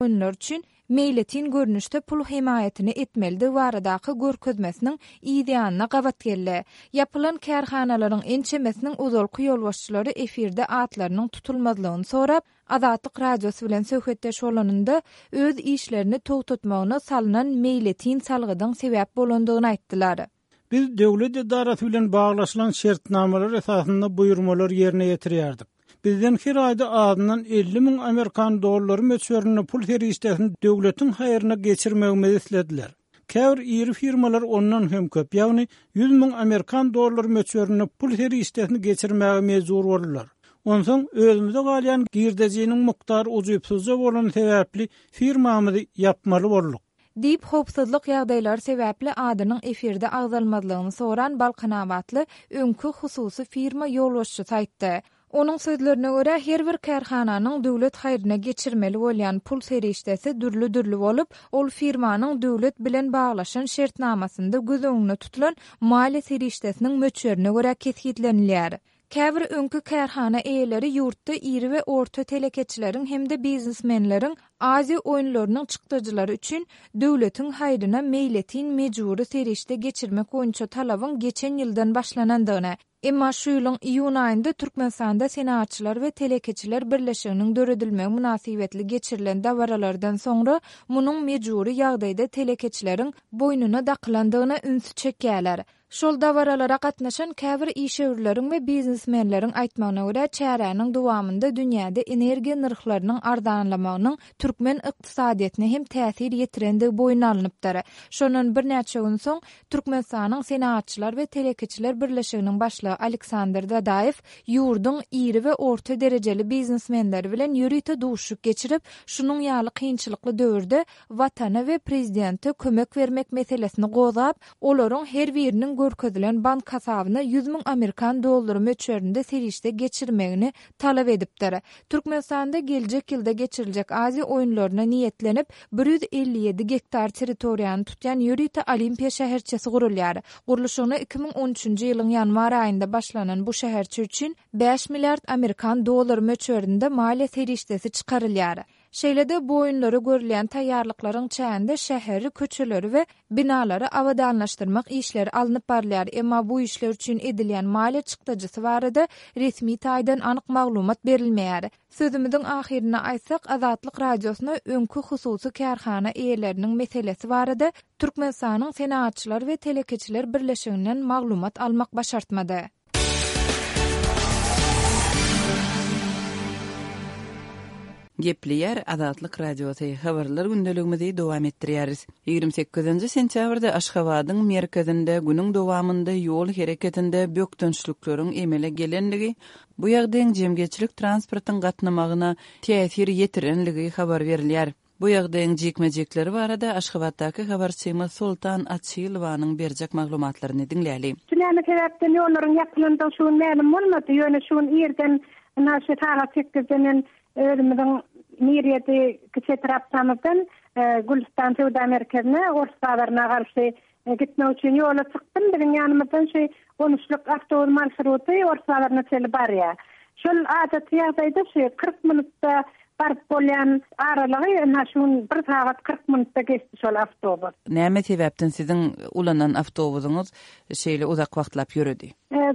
Oýunlar üçin meýletin görnüşde pul hemaýatyny etmelidigi baradaky görkezmesiniň yz ýanyna gabat geldi. Ýapylan kärhanalaryň ençemesiniň ozalky ýolbaşçylary efirde atlarynyň tutulmazlygyny sorap, Azatlyk Radiosy bilen söhbetdeş bolanynda, öz işlerini togtatmagyna salnan meýletin salgydyň sebäp bolandygyny aýtdylar. Biz döwlet edarasy bilen baglaşylan şertnamalar esasynda buýurmalary ýerine ýetirýärdik. Bizden her aýda azyndan 50 müň amerikan dollary möçberinde pul serişdesini döwletiň haýryna geçirmegimizi islediler. Käbir iri firmalar ondan hem köp, ýagny 100 müň amerikan dollary möçberinde pul serişdesini geçirmäge mejbur boldular. Onsoň özümize galýan girdejiniň mukdary ujypsyzja bolany sebäpli firmamyzy ýapmaly bolduk. Diýip, howpsuzlyk ýagdaýlary sebäpli adynyň efirde agzalmazlygyny soran balkanabatly öňki hususy firma ýolbaşçysy aýtdy. Onuň sözlerine görä, her bir kärhananyň döwlet haýryna geçirmeli bolýan pul serişdesi dürli-dürli bolup, ol firmanyň döwlet bilen baglaşan şertnamasynda göz öňünde tutulan maliýe serişdesiniň möçberine görä kesgitlenilýär. Käbir öňki kärhana eýeleri ýurtda iri we orta telekeçileriň hem-de biznesmenleriň Aziýa oýunlarynyň çykdajylary üçin döwletiň haýryna meýletin mejbury serişde geçirmek boýunça talabyň geçen ýyldan başlanandygyny, emma şu ýylyň iýun aýynda Türkmenistanda Senagatçylar we telekeçiler birleşiginiň döredilmegi mynasybetli geçirilen dabaralardan soňra munuň mejbury ýagdaýda telekeçileriň boýnuna dakylandygyna ünsi çekýärler. Şol dabaralara gatnaşan käbir işewürleriň we biznesmenleriň aýtmagyna görä, çäräniň dowamynda dünýäde energiýa nyrhlarynyň arzanlamagynyň türkmen ykdysadyýetine hem täsir ýetirendigi boýun alnypdyr. Şondan birnäçe gün soň, Türkmenistanyň Senagatçylar we telekeçiler birleşiginiň başlygy Aleksandr Dadaýew ýurduň iri we orta derejeli biznesmenleri bilen ýörite duşuşyk geçirip, şunuň ýaly kynçylykly döwürde Watana we prezidente kömek bermek meselesini gozgap, olaryň her biriniň görkezilen bank hasabyna 100 müň amerikan dollary möçberinde serişde geçirmegini talap edipdir. Türkmenistanda geljek ýylda geçiriljek Aziýa oýunlaryna niýetlenip, 157 gektar territoriýany tutýan ýörite Olimpiýa şäherçesi gurulýar. Gurluşygyna 2013-nji ýylyň ýanwar aýynda başlanan bu şäherçe üçin bäş milliard amerikan dollary möçberinde maliýe serişdesi çykarylýar. Şeýle-de bu oýunlara görülýän taýýarlyklaryň çäginde şäheri, köçeleri we binalary abadanlaşdyrmak işleri alnyp barylýar, emma bu işler üçin edilýän maliýe çykdajysy barada resmi taýdan anyk maglumat berilmeýär. Sözümiziň ahyrynda aýtsak, Azatlyk Radiosyna öňki hususy kärhana eýeleriniň meselesi barada Türkmenistanyň Senagatçylar we telekeçiler birleşiginden maglumat almak başartmady. Gepleýär Azatlyk Radiosy, Habarlar gündeligimizi dowam etdirýäris. 28-nji sentýabrda Aşgabadyň merkezinde günüň dowamynda ýol hereketinde bökdençlikleriň emele gelendigi, bu ýagdaýyň jemgyýetçilik transportyň gatnamagyna täsir ýetirenligi habar berilýär. Bu ýagdaýyň jikme-jikleri barada Aşgabatdaky habarçymyz Soltan Açylowanyň berjek maglumatlaryny diňläli. Şu näme sebäpden ýollaryň ýapylandygy şu gün mälim bolmady, ýöne şu gün irden ynha şu sagat sekizde men özümiziň Mir ýedi kiçi etrapçamyzdan Gülüstan söwda merkezine Ors bazaryna garşy gitmek üçin ýola çykdym. Biziň ýanymyzdan şu on üçlük awtobus marşruty Ors bazaryna çenli barýar. Şol adaty ýagdaýda şu 40 minutda baryp bolýan aralygy ynha şu gün bir sagat 40 minutda geçdi şol awtobus. Näme sebäpden siziň ulanan awtobusyňyz şeýle uzak wagtlap ýöredi?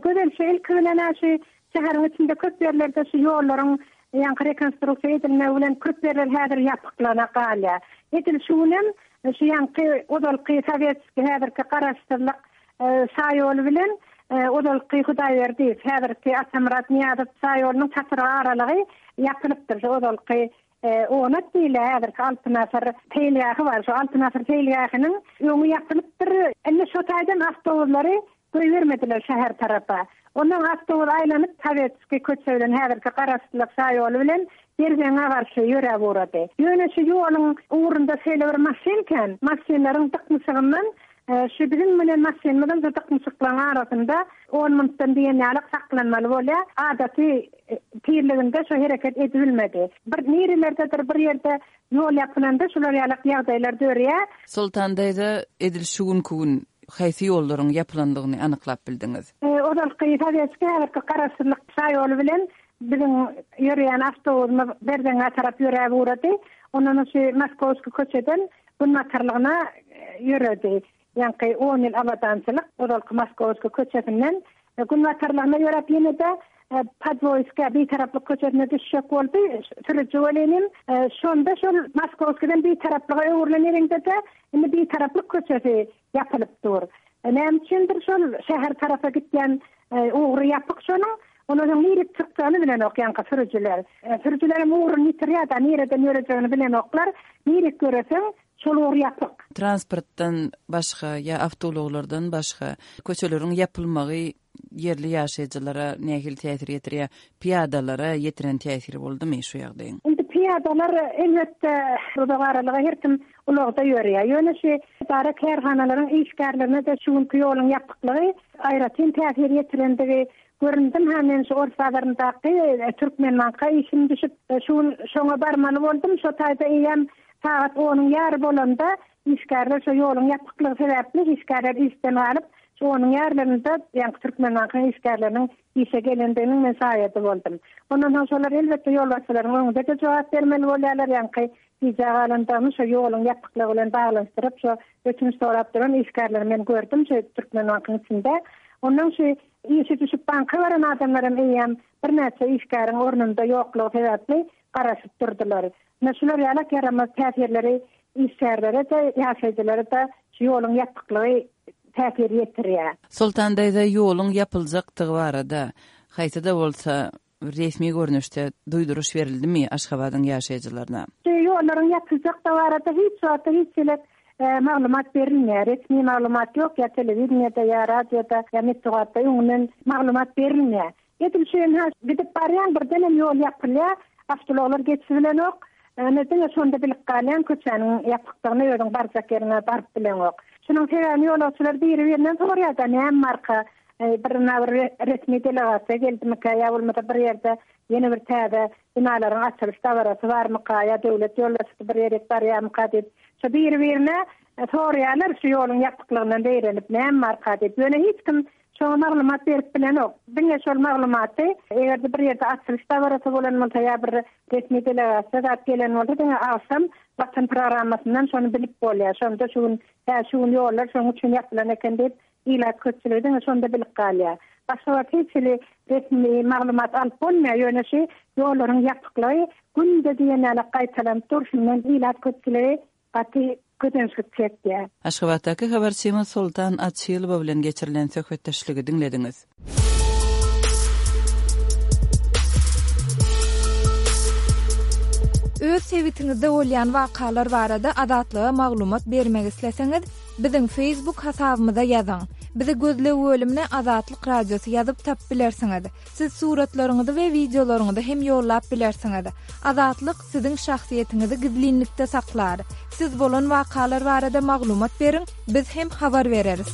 Gözel, şu ilki bilen-ä şu şäheriň içinde köp ýerlerde şu ýollaryň ýaňky rekonstruksiýa edilmegi bilen köp ýerler häzir ýapyklygyna galýar. Edil şu günem Şu ýaňky ozalky Sowetskiý, häzirki Garaşsyzlyk şaýoly bilen ozalky Hudaýberdiýew, häzirki Atamyrat Nyýazow şaýolunyň çatrygy aralygy ýapylypdyr. Şu ozalky Onat diýilýär, häzirki Altyn asyr seýilgähi bar. Şu Altyn asyr seýilgähiniň öňi ýapylypdyr. Indi şo taýdan awtobuslary Goýbermediler şäher tarapa. Ondan awtobus aýlanyp Sowetskiý köçe bilen häzirki Garaşsyzlyk şaýoly bilen Berzeňňä garşy ýöräp ugrady. Ýöne şu ýoluň ugrunda şeýle bir maşyn kän, maşynlaryň dyknyşygyndan şu biziň münen maşynymyzam şu dyknyşyklaryň arasynda on minutdan diýen ýalyk saklanmaly bolýar. Adaty tizliginde şu hereket edibilmedi. Bir nirelerdedir bir ýerde ýol ýapylanda şular ýalak ýagdaýlar dörýär. Soltan daýza edil şu günki gün Haýsy ýollaryň ýapylandygyny anyklap bildiňiz? Ozalky Sowetskiý, häzirki Garaşsyzlyk şaýoly bilen biziň ýöreýän awtobusymyz Berzeňňä tarap ýöräp ugrady. Ondan şu Moskowskiý köçeden günbatarlygyna ýöredi. Ýaňky on ýyl abadançylyk, ozalky Moskowskiý köçesinden günbatarlygyna ýöräp ýene-de Podwoýska, Bitaraplyk köçesine düşjek boldy. Sürüji welinim, şonda şol Moskowskiden Bitaraplyga öwrülen ýeriňde-de indi Bitaraplyk köçesi ýapylyp dur. Näme üçindir şol şäher tarapa gitýän ugry ýapyk şonuň. Ondan soň nirek çykjagyny bilenok ýaňky sürüjiler. Sürüjilerem ugruny ýitirýär-de, nireden ýörejegini bilenoklar. Nirek ýöreseň, şol ugur ýapyk. Transportdan başga ýa awtoulaglardan başga köçeleriň ýapylmagy ýerli ýaşaýjylara nähili täsir ýetirýär? Pyýadalara ýetiren täsiri boldumy şu ýagdaýyň? Indi pyýadalar elbetde uzak aralyga her kim ulagda ýörýär. Ýöne şu edara-kärhanalaryň işgärlerine-de şu günki ýoluň ýapyklygy aýratyn täsir ýetirendigi göründim. Hä men şu ors bazaryndaky Türkmenbanka işim düşüp, şu gün şoňa barmaly boldum. Şo taýda eýýäm sagat onuň ýary bolanda işgärler şo ýoluň ýapyklygy sebäpli işgärler işden galyp, şu onuň ýarlarynda ýaňky Türkmenbankyň işgärleriniň işe gelendiginiň men şaýady boldum. Ondan soň şolar elbetde ýolbaşçylaryň öňünde-de jogap bermeli bolýarlar, ýaňky gijä galandygyny şo ýoluň ýapyklygy bilen baglanyşdyryp şo ötünç sorap duran işgärleri men gördüm şo Türkmenbankyň içinde. Ondan şu işi düşüp banka baran adamlaram eýýäm birnäçe işgäriň ornunda ýoklugy sebäpli garaşyp durdular. Ine şular ýalak ýaramaz täsirleri işgärlere-de, ýaşaýjylara-da şu ýoluň ýapyklygy täsir ýetirýär. Soltan daýza ýoluň ýapyljakdygy barada haýsy-da bolsa resmi görnüşde duýduryş berildimi Aşgabadyň ýaşaýjylaryna? Şu ýollaryň ýapyljakdygy barada hiç wagtda hiç hili maglumat berilmeýär. Resmi maglumat ýok, ýa telewideniýede, ýa radioda, ýa metbugatda öňünden maglumat berilmeýär. Edil şu ynha gidip barýaň birdenem ýol ýapylýar, awtoulaglar geçibilenok. Ine diňe şonda bilip galýaň köçäniň ýapykdygyny özüň barjak ýeriňe baryp bileňok. Şunuň sebäbini ýolagçylar biri-birinden soraýar-da näme barka, bir ynha bir resmi delegasiýa geldimikä ýa bolmasa bir ýerde ýene bir täze binalaryň açylyş dabarasy barmyka ýa döwlet ýolbaşçysy bir ýerik barýarmyka diýip şo biri-birine soraýarlar şu ýoluň ýapyklygyndan zeýrenip näme barka diýip. Ýöne hiç kim Şoňa maglumat berip bilenok. Diňe şol maglumaty, eger-de bir ýerde açylyş dabarasy bolan bolsa ýa bir resmi delegasiýa zat gelen bolsa, diňe agşam Watan programmasyndan şony bilip bolýar. Şonda şu gün, hä, şu gün ýollar şonuň üçin ýapylan eken diýip, ilat köpçüligi diňe şonda bilip galýar. Başga wagt hiç hili resmi maglumat alyp bolmaýar. Ýöne şu ýollaryň ýapyklygy günde diýen ýaly gaýtalanyp dur. Şundan ilat köpçüligi gaty kösençlik çekýär. Aşgabatdaky habarçymyz Soltan Açylowa bilen geçirilen söhbetdeşligi diňlediňiz. Öz sebitiňizde bolýan wakalar barada Azatlyga maglumat bermek isleseňiz, biziň Facebook hasabymyza ýazyň. Bizi gözleg bölümine Azatlyk Radiosy ýazyp tapyp bilersiňiz. Siz suratlaryňyzy we wideolaryňyzy hem ýollap bilersiňiz. Azatlyk siziň şahsyýetiňizi gizlinlikde saklar. Siz bolan wakalar barada maglumat beriň, biz hem habar bereris.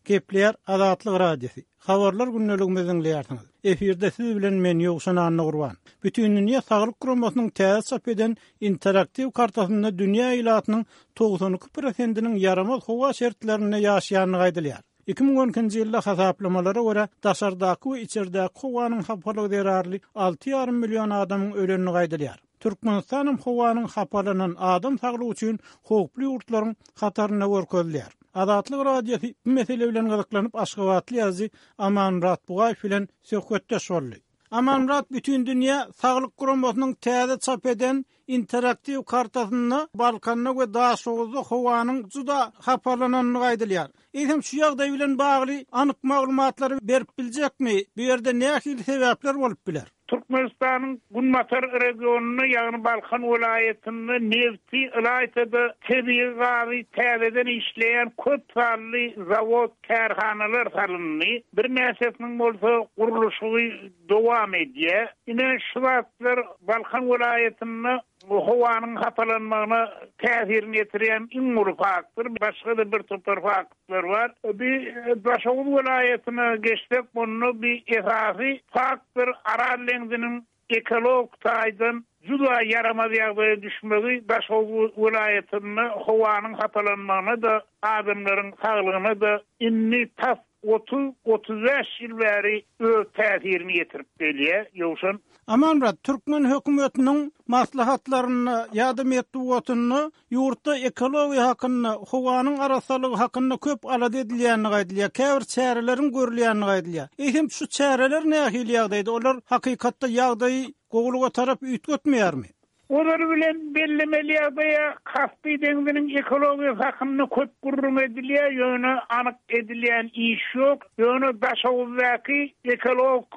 Gepleýär Azatlyk Radiosy. Habarlar gündeligimizi diňleýärsiňiz. Efirde siz bilen men Ýowşan Annagurban. Bütindünýä Saglyk Guramasynyň täze çap eden interaktiw kartasynda dünýä ilatynyň 92 prosentiniň ýaramaz howa şertlerinde ýaşaýandygy aýdylýar. 2012-nji ýylda hasaplamalara görä, daşardaky we içerdäki howanyň hapalygy zerarly alty ýarym million adamyň ölendigi aýdylýar. Türkmenistan hem howanyň hapalanan adam saglygy üçin howply ýurtlaryň hatarynda görkezilýär. Azatlyk Radiosy bu mesele bilen gyzyklanyp aşgabatly ýazyjy Amanmyrat Bugaýew bilen söhbetdeş boldy. Amanmyrat Bütindünýä Saglyk Guramasynyň täze çap eden interaktiw kartasynda Balkanda we Daşoguzda howanyň juda hapalanandygy aýdylýar. Eýsem şu ýagdaý bilen bagly anyk maglumatlary berip biljekmi? Bu ýerde nähili sebäpler bolup biler? Türkmenistanyň günbatar regionynda, ýagny Balkan welaýatynda nebti, ylaýta-da tebigy gazy täzeden işleýän köp sanly zawod, kärhanalar salyndy. Birnäçesiniň bolsa gurluşygy dowam edýär. Ine, şu zatlar Balkan welaýatynda howanyň hapalanmagyna täsirini ýetirýän iň uly faktor. Başga-da bir topar faktlar bar. Bi Daşoguz welaýatyna geçsek, onda bi esasy faktor Aral deňziniň ekologik taýdan juda ýaramaz ýagdaýa düşmegi Daşoguz welaýatynda howanyň hapalanmagyna-da, adamlaryň saglygyna-da indi tas 30, 35 ýyl bäri öz täsirini ýetirip gelýär, Ýowşan. Amanmyrat, türkmen hökümetiniň maslahatlarynda ýa-da metbugatynda ýurtda ekologiýa hakynda, howanyň arassalygy hakynda köp alada edilýändigi aýdylýar, käbir çäreleriň görülýändigi aýdylýar. Eýsem, şu çäreler nähili ýagdaýda? Olar hakykatda ýagdaýy gowulyga tarap üýtgetmeýärmi? Ozaly bilen bellemeli ýagdaýa Kaspi deňziniň ekologiýasy hakynda köp gürrüň edilýär, ýöne anyk edilýän iş ýok. Ýöne Daşoguzdaky ekologik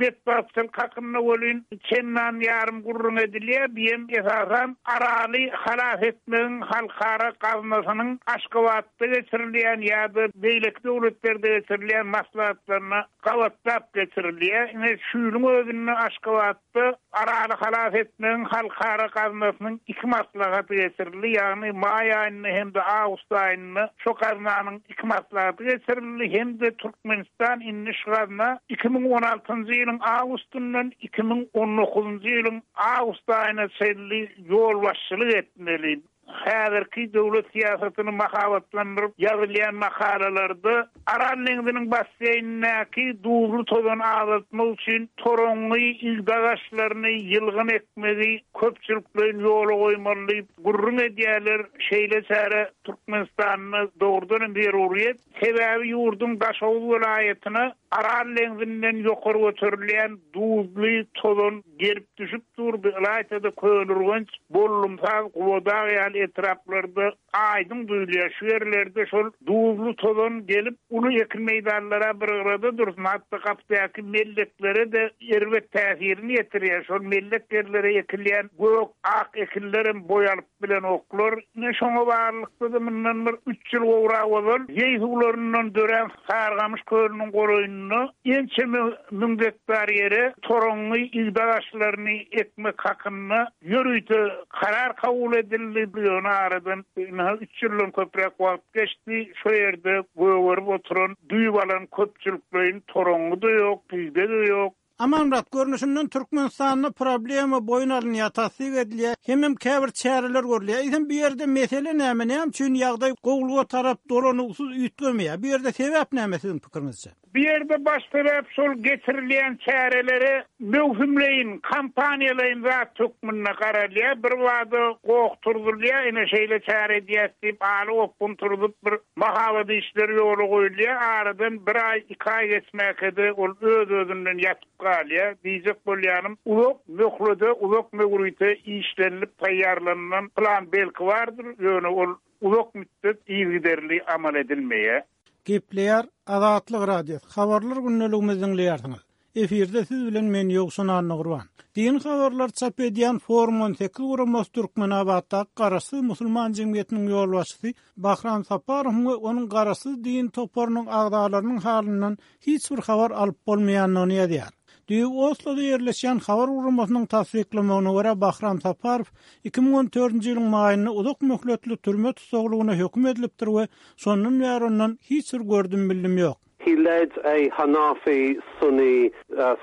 betbagtçylyk hakynda welin çendan ýarym gürrüň edilýär. Biem esasan Araly halas etmegiň halkara gaznasynyň Aşgabatda geçirilýän ýa-da beýleki döwletlerde geçirilýän maslahatlaryna gabatlap geçirilýär. Ine şu ýylyň özünde Aşgabat Da Araly halas etmegiň halkara gaznasynyň iki maslahaty geçirildi, ýagny maý aýynda hem-de awgust aýynda şo gaznanyň iki maslahaty geçirildi hem-de Türkmenistan indi şu gazna 2016-njy ýylyň awgustyndan 2019-njy ýylyň awgust aýyna çenli ýolbaşçylyk etmeli. Häzirki döwlet syýasatyny mahabatlandyryp ýazylýan makalalarda Aral deňziniň basseýnindäki duzly tozany azaltmak üçin toraňňy, igde agaçlaryny, ýylgyn ekmegi köpçülikleýin ýola goýmaly diýip gürrüň edýärler. Şeýle çäre Türkmenistanda dogrudan hem zeruryýet. Sebäbi ýurduň Daşoguz welaýatyna Aral deňzinden ýokary göterilýän duzly tozan gelip düşüp dur, bu ylaýta-da Köneürgenç, Bollumsaz, Gubadag ýaly etraplarda aýdyň duýulýar. Şu ýerlerde şol duzly tozan gelip, uly ekin meýdanlara bir gyrada dursun, hatda gapdaky melleklere-de erbet täsirini ýetirýär. Şol mellek ýerlere ekilýän gök, ak ekinlerem boý alyp bilenoklar. Ine, şoňa baglylykda-da mundan bir üç ýyl gowrak ozal zeý suwlaryndan dörän Sarygamyş kölüniň golaýynda ençeme müň gektar ýere toraňňy igde agaçlaryny ekmek hakynda ýörite karar kabul edildi. Ýöne aradan ynha üç ýyldan köpräk wagt geçdi. Şo ýerde gögerip oturan, düýp alan köpçülikleýin toraňňy-da ýok, igde-de ýok. Amanmyrat, görnüşinden Türkmenistanda problema boýun alynýar, tassyk edilýär, hemem käbir çäreler görülýär. Eýsem bu ýerde mesele näme, näme üçin ýagdaý gowulyga tarap dolanygysyz üýtgemeýär? Bu ýerde sebäp näme siziň pikiriňizçe? Bu ýerde baş sebäp şol geçirilýän çärelere möwsümleýin, kampaniýalaýyn zat hökmünde garalýar. Birbada goh turzulýar, ine şeýle çäre edýäs diýip, aly gopgun turzup bir Mahabat işleri ýola goýulýar, aradan bir aý, iki aý geçmäkä-de ol öz-özünden ýatyp galýar. Diýjek bolýanym, uzak möhlede, uzak möwrite işlenilip taýýarlanylan plan belki bardyr, ýöne ol uzak mütdet yzygiderli amal edilmeýär. Gepleýär Azatlyk Radiosy, Habarlar gündeligimizi diňleýärsiňiz. Efirde siz bilen men Ýowşan Annagurban. Dini habarlary çap edýän Forum 18 guramasy Türkmenabatdaky Garaşsyz musulman jemgyýetiniň ýolbaşçysy Bahram Saparowyň we onuň Garaşsyz dini toparynyň agzalarynyň halyndan hiç bir habar alyp bolmaýandygyny ýazýar. Düýbi Osloda ýerleşýän habar guramasynyň tassyklamagyna görä Bahram Saparow 2014-nji ýylyň maýynda uzak möhletli türme tussaglygyna höküm edilipdir we şondan bäri ondan hiç bir gördüm-bildim ýok. He led a Hanafi Sunni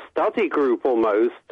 study group almost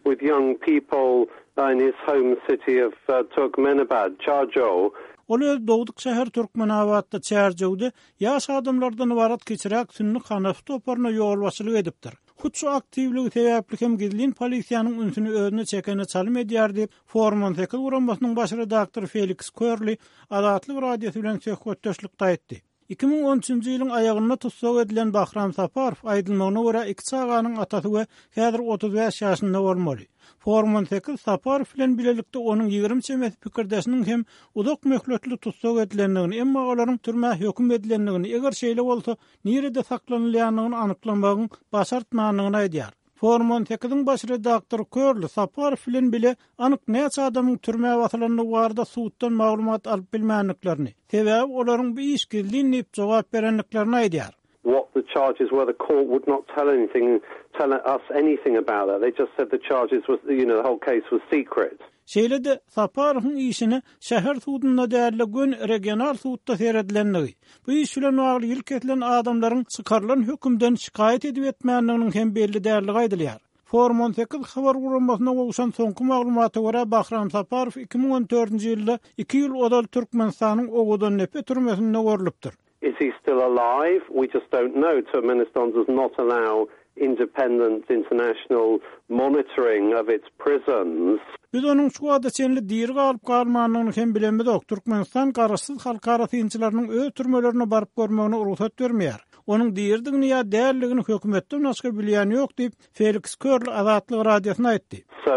with young people in his home city of Turkmenabad, Charjow. Ol öz dogduk şäheri Türkmenabatda, Çärjewde ýaş adamlardan ybarat kiçiräk sünni hanafy toparyna ýolbaşçylyk edipdir. Hut şu aktiwligi sebäpli hem gizlin polisiýanyň ünsüni özüne çekene çalym edýär diýip, Forum 18 guramasynyň baş redaktory Feliks Körli Azatlyk Radiosy bilen söhbetdeşlikde aýtdy. 2013-nji ýylyň aýagynda tussag edilen Bahram Saparow, aýdylmagyna görä, iki çaganyň atasy we häzir 35 ýaşynda bolmaly. Forum 18 Saparow bilen bilelikde onuň 20 çemesi pikirdeşiniň hem uzak möhletli tussag edilendigini, emma olaryň türmä höküm edilendigini, eger şeýle bolsa, nirede saklanylýandygyny anyklamagyň başartmandygyny aýdýar. Forum on sekiziň baş redaktory Körli Saparow bilen bile anyk näçe adamyň türmä basylandygy barada suddan maglumat alyp bilmändiklerini, sebäbi olaryň bu iş gizlin diýip jogap berendiklerini aýdýar. What the charges were the court would not tell anything tell us anything about that they just said the charges was you know the whole case was secret. Şeýle-de, Saparowyň işine şäher sudunda däl-de göni regional sudda seredilendigi, Bu iş bilen bagly ýyl kesilen adamlaryň çykarylan hökümden şikaýat edip-etmändiginiň hem belli däldigi aýdylýar. Forum 18 habar guramasyna gowşan soňky maglumata görä, Bahram Saparow 2014-nji ýylda iki ýyl ozal Türkmenistanyň Owadandepe türmesinde görlüpdir. Is he still alive? We just don't know. Turkmenistan does not allow. independent international monitoring of its prisons. Biz onuň şu wagta çenli diri galyp-galmandygyny hem bilemizok. Türkmenistan garaşsyz halkara synçylarynyň öz türmelerine baryp görmegine rugsat bermeýär. Onuň diridigini ýa däldigini hökümetden başga bilýän ýok diýip, Feliks Körl Azatlyk Radiosyna aýtdy. So,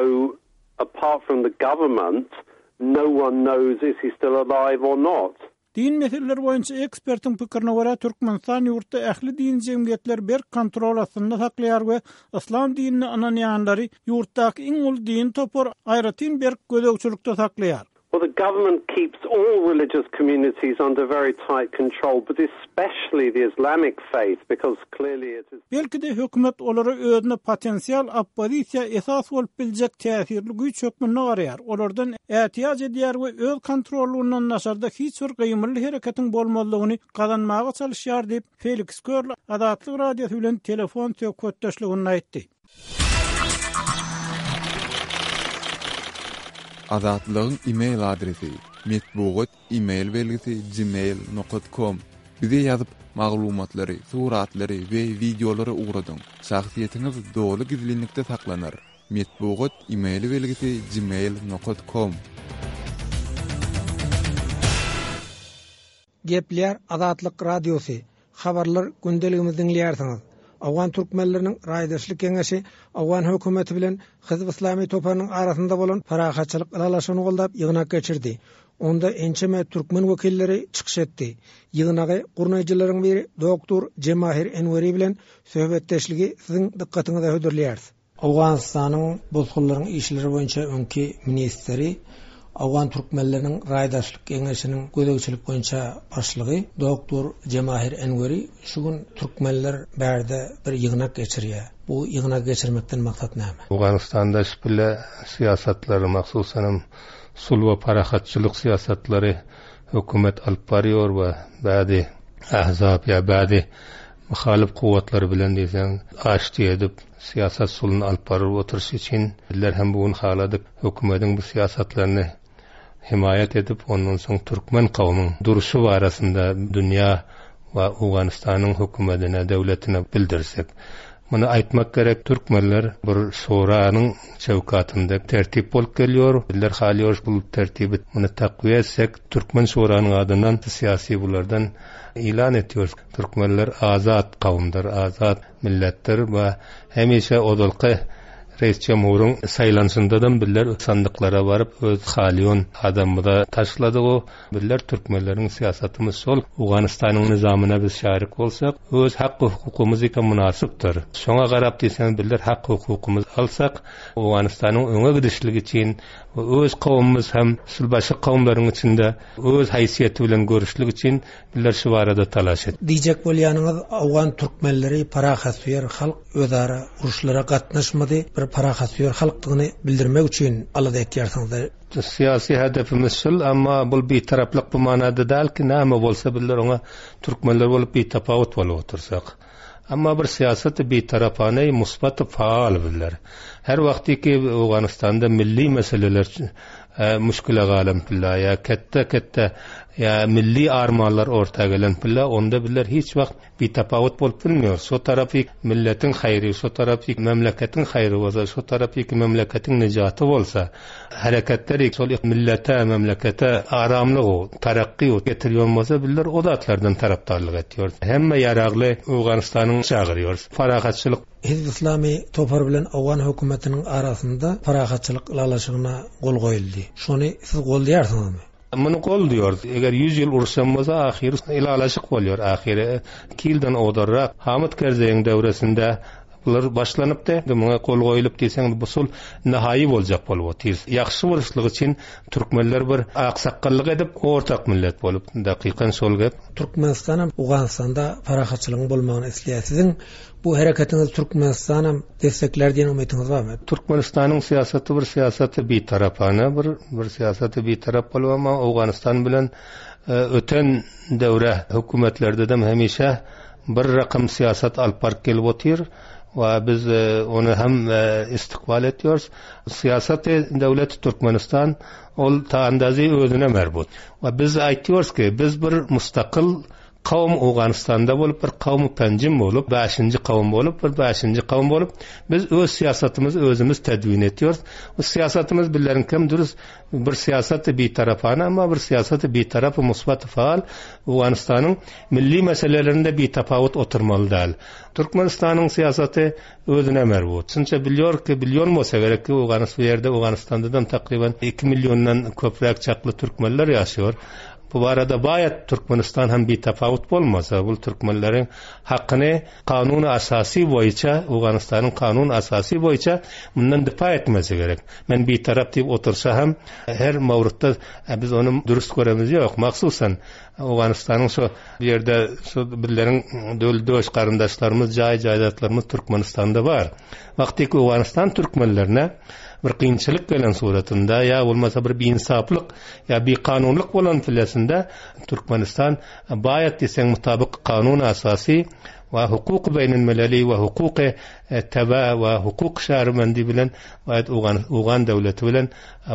apart from the government, no one knows is he still alive or not. Din meseleleri boýunça ekspertiň pikirine görä, Türkmenistan ýurtda ähli dini jemgyýetleri berk kontrol astynda saklaýar we yslam dinine ynanýanlary ýurtdaky iň uly dini topar aýratyn berk gözegçilikde saklaýar. Well, the government keeps all religious communities under very tight control, but especially the Islamic faith, because clearly it is. Belki-de, hökümet olara özüne potensial oppozisiýa esas bolup biljek täsirli güýç hökmünde garaýar, olardan ätiýaç edýär we öz kontrollygyndan daşarda hiç bir gymylly hereketiň bolmazlygyny gazanmaga çalyşýar diýip, Feliks Körl Azatlyk Radiosy bilen telefon söhbetdeşliginde aýtdy. Azatlygyň e-mail adresi, metbugat e-mail belgisi gmail nokat kom Bize ýazyp, maglumatlary, suratlary we wideolary ugradyň. Şahsyýetiňiz doly gizlinlikde saklanar. Metbugat e-mail belgisi gmail nokat kom. Gepleýär Azatlyk Radiosy, Habarlar gündeligimizi diňleýärsiňiz. Owgan türkmenleriniň raýdaşlyk geňeşi owgan hökümeti bilen Hizb Yslamy toparynyň arasynda bolan parahatçylyk ylalaşygyny goldap ýygnak geçirdi. Onda ençeme türkmen wekilleri çykyş etdi. Ýygnagy gurnaýjylaryň biri doktor Jemahir Enweri bilen söhbetdeşligi siziň dykgatyňyza hödürleýäris. Owganystanyň bosgunlaryň işleri boýunça öňki ministri, owgan türkmenleriniň raýdaşlyk geňeşiniň gözegçilik boýunça başlygy doktor Jemahir Enweri şu gün türkmenler bärde bir ýygnak geçirýär. Bu ýygnagy geçirmekden maksat näme? Owganystanda şpile syýasatlary, mahsusanam sulh we parahatçylyk syýasatlary hökümet alyp barýar we bäzi ahzap ýa bäzi muhalyf kuwwatlary bilen diýseň aşti edip, Syýasat suluny alyp baryp oturyşy üçin bizler hem bu gün haladyk hökümediň bu syýasatlaryny hemaýat edip, ondan soň türkmen kowumyň duruşy barasynda dünýä we Owganystanyň hökümedine, döwletine bildirsek. Muny aýtmak gerek, türkmenler bir şuranyň çöwkatynda tertip bolup gelýär. Bizler halýarys bu tertibi, muny takwiýa etsek, türkmen şuranyň adyndan syýasy bulardan ýylan etýäris. Türkmenler azat kowumdyr, azat. Milletdir we hemişe ozalky Reis Jemhuryň saýlanyşyndadam bizler sandyklara baryp öz halýon adamymyza taşladyg-ow. Bizler türkmenleriň syýasatymyz şol Owganystanyň nyzamyna biz şärik bolsak öz hak-hukukymyzyka mynasypdyr. Şoňa garap diýseňiz bizler hak-hukukymyzy alsak Owganystanyň öňe gidişligi üçin we öz kowumymyz hem şul başga kowumlaryň içinde öz haýsyýeti bilen görüşlik üçin Bizler şu barada talaş et. Diýjek bolýanyňyz owgan türkmenleri parahatsöýer halk özara uruşlara gatnaşmady bir parahatsöýer halkdygyny bildirmek üçin alada etýärsiňizdä. Syýasy hedefimiz şul emma bul bitaraplyk bu manada däl ki näme bolsa bizler oňa türkmenler bolup bitapawut bolup otursak. Emma bir syýasaty bitarapane musbat faal bizler. Her wagty ki Owganystanda milli meseleler müşkile galan pilla ýa ketde-ketde ýa milli armanlar orta gelen pilla onda bizler hiç wagt bitapawut bolup bilmiýorys. Şo tarapy milletiň haýry, şo tarapy memleketiň haýry bolsa, şo tarapy memleketiň nejaty bolsa, hereketleri şol millete, memlekete aramlygy, tarakgy getirýän bolsa bizler o zatlardan tarapdarlyk etýäris. Hemme ýaragly Owganystanyň çagyrýarys. Parahatçylyk. Hizb Yslamy topary bilen owgan hökümetiniň arasynda parahatçylyk ylalaşygyna gol goýuldy. Şony siz goldaýarsyňyzmy? Muny goldaýarys. Eger ýüz ýyl uruşan bolsa ahyry ylalaşyk bolýar. Ahyry iki ýyldan ozalrak Hamyt Kerzeýiň döwresinde Bular başlanypdy. Muňa gol goýulyp diýseň bu sul nahaýy boljak bolup otyr. Ýagşy boluşlygy üçin türkmenler bir aksakgallyk edip ortak millet bolup. Dakykan şol gep. Türkmenistanam Owganystanda parahatçylygyň bolmagyny isleýär. Siziň bu hereketiňizi Türkmenistanam desseklär diýen umytyňyz barmy? Türkmenistanyň syýasaty bir syýasaty bitarapana bir bir syýasaty bitarap bolup amma Owganystan bilen öten döwre hökümetlerdedem hemişe Bir rakam syýasat alyp baryp gelip otyr we biz ony hem istikbal etýäris. Syýasaty döwleti Türkmenistan ol ta andazy özüne merbut. We biz aýtýarys ki, biz bir mustakyl. kowum Owganystanda bolup, bir kowum Penjim bolup, bäşinji kowum bolup, bir bäşinji kowum bolup, biz öz syýasatymyzy özümiz tedwin etýäris. Bu syýasatymyz bizleriňkem dürüst bir syýasaty bitarapana, emma bir syýasaty bitarap musbat faal Owganystanyň milli meselelerinde bitapawut oturmaly däl. Türkmenistanyň syýasaty özüne merbut. Şunça bilýor ki, bilýon bolsa gerek ki, Owganys bu ýerde Owganystandadan takryban iki milliondan köpräk çakly türkmenler ýaşaýar. Bu barada baýat Türkmenistan hem bitapawut bolmasa, bul türkmenleriň hakyny kanuny asasy boýunça, Owganystanyň kanuny asasy boýunça mundan dipa etmesi gerek. Men bitarap diýip otursa hem her mawrutda biz ony dürüst göremiz ýok. Mahsusan Owganystanyň şo ýerde şo bizleriň döl döş garyndaşlarymyz, jaý jaýdatlarymyz Türkmenistanda bar. Wagtyky Owganystan türkmenlerine bir kynçylyk gelen suratynda ýa bolmasa bir biinsaplyk ýa bikanunlyk bolan pilesinde Türkmenistan baýat diýseň mutabyk kanun asasy we hukuky beýnilmeleli we hukuky tebe we hukuk şährimendi bilen baýat Owgan Owgan döwleti bilen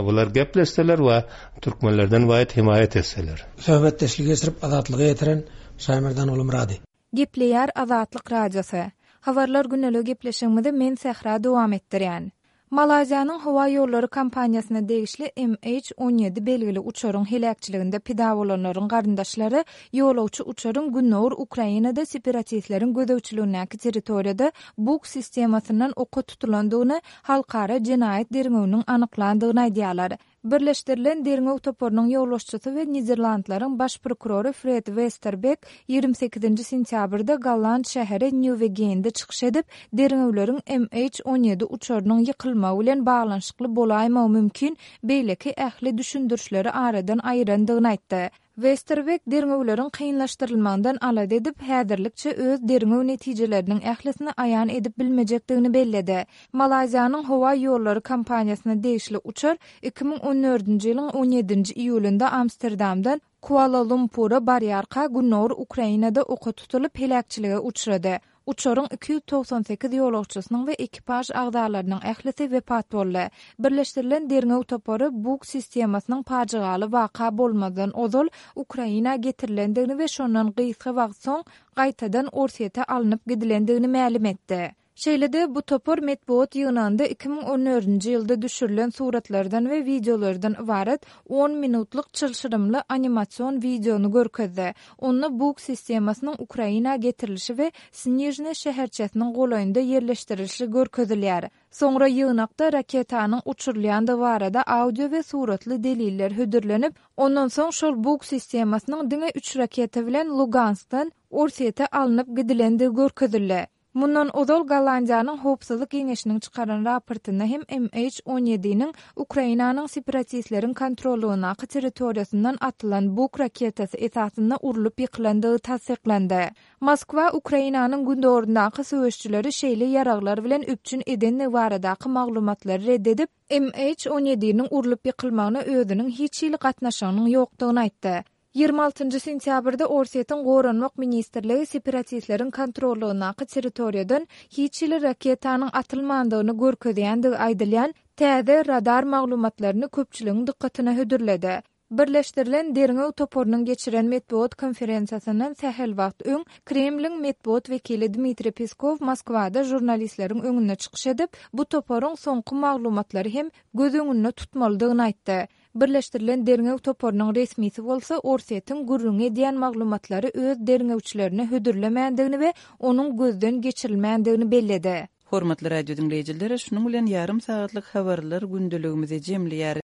bular gepleşseler we türkmenlerden baýat himaýat etseler. Söhbetdeşligi geçirip Azatlyga ýetiren Şaýmerdan Gulumyrady. Gepleýär Azatlyk Radiosy. Habarlar güneligi gepleşigimizi men Sähra dowam etdirýän. Malaýziýanyň howa ýollary kompaniýasyna degişli MH 17 belgili uçaryň heläkçiliginde pida bolanlaryň garyndaşlary ýolagçy uçaryň gündogar Ukrainada separatistleriň gözegçiligindäki territoriýada Buk sistemasyndan oka tutulandygyny halkara jenaýat derňewiniň anyklandygyny aýdýarlar. Birleşdirilen derňew toparynyň ýolbaşçysy we Niderlandlaryň baş prokurory Fred Westerbek 28-nji sentýabrda golland şäheri Nýuwegende çykyş edip, derňewleriň MH 17 uçarynyň ýykylmagy bilen baglanyşykly bolaýmagy mümkin beýleki ähli düşündirişleri aradan aýyrandygyny aýtdy. Westerweg derňewleriň kynlaşdyrylmagyndan alada edip, häzirlikçe öz derňew netijeleriniň ählisini aýan edip bilmejekdigini belledi. Malaýziýanyň howa ýollary kompaniýasyna degişli uçar 2014-nji ýylyň on ýedinji iýulynda Amsterdamdan Kuala-Lumpura barýarka gündogar Ukrainada oka tutulyp, heläkçilige uçrady. Uçaryň 298 ýolagçysynyň we ekipaž agzalarynyň ählisi wepat boldy. Birleşdirilen derňew topary Buk sistemasynyň pajygaly waka bolmazdan ozal Ukraina getirilendigini we şondan gysga wagt soň gaýtadan Orsýete alnyp gidilendigini mälim etdi. Şeýle-de, bu topar metbugat ýygnagynda 2014-nji ýylda düşürilen suratlardan we wideolardan ybarat on minutlyk çylşyrymly animasion wideony görkezdi. Onda Buk sistemasynyň Ukraina getirilişi we Snižne şäherçesiniň golaýynda ýerleşdirilişi görkezilýär. Soňra ýygnakda raketanyň uçurylýandygy barada audio we suratly deliller hödürlenip, ondan soň şol Buk sistemasynyň diňe üç raketa bilen Luganskdan Orsýete alnyp gidilendigi görkezildi. Mundan ozal Gollandiýanyň Howpsuzlyk geňeşiniň çykaran raportynda hem MH on ýediniň Ukrainanyň separatistleriň kontrollygyndaky territoriýasyndan atylan Buk raketasy esasynda urlup ýykylandygy tassyklandy. Moskwa Ukrainanyň gündogaryndaky söweşçileri şeýle ýaraglar bilen üpjün edendigi baradaky maglumatlary red edip, MH on ýediniň urlup ýykylmagyna özüniň hiç hili gatnaşygynyň ýokdugyny aýtdy. 26 sentýabrda Orsýetiň Goranmak ministrligi separatistleriň kontrollygyndaky territoriýadan hiç hili raketanyň atylmandygyny görkezýändigi aýdylýan täze radar maglumatlaryny köpçüligiň dykgatyna hödürledi. Birleşdirilen derňew toparynyň geçiren metbugat konferensiýasyndan sähel wagt öň Kremliň metbugat wekili Dmitriý Peskow Moskwada žurnalistleriň öňünde çykyş edip, bu toparyň soňky maglumatlary hem göz öňünde tutmalydygyny aýtdy. Birleşdirilen derňew toparynyň resmisi bolsa Orsýetiň gürrüňi edýän maglumatlary öz derňewçilerine hödürlemändigini we onuň gözden geçirilmändigini belledi. Hormatly radio diňleýjiler, şunuň bilen ýarym sagatlyk habarlar gündeligimizi jemleýäris.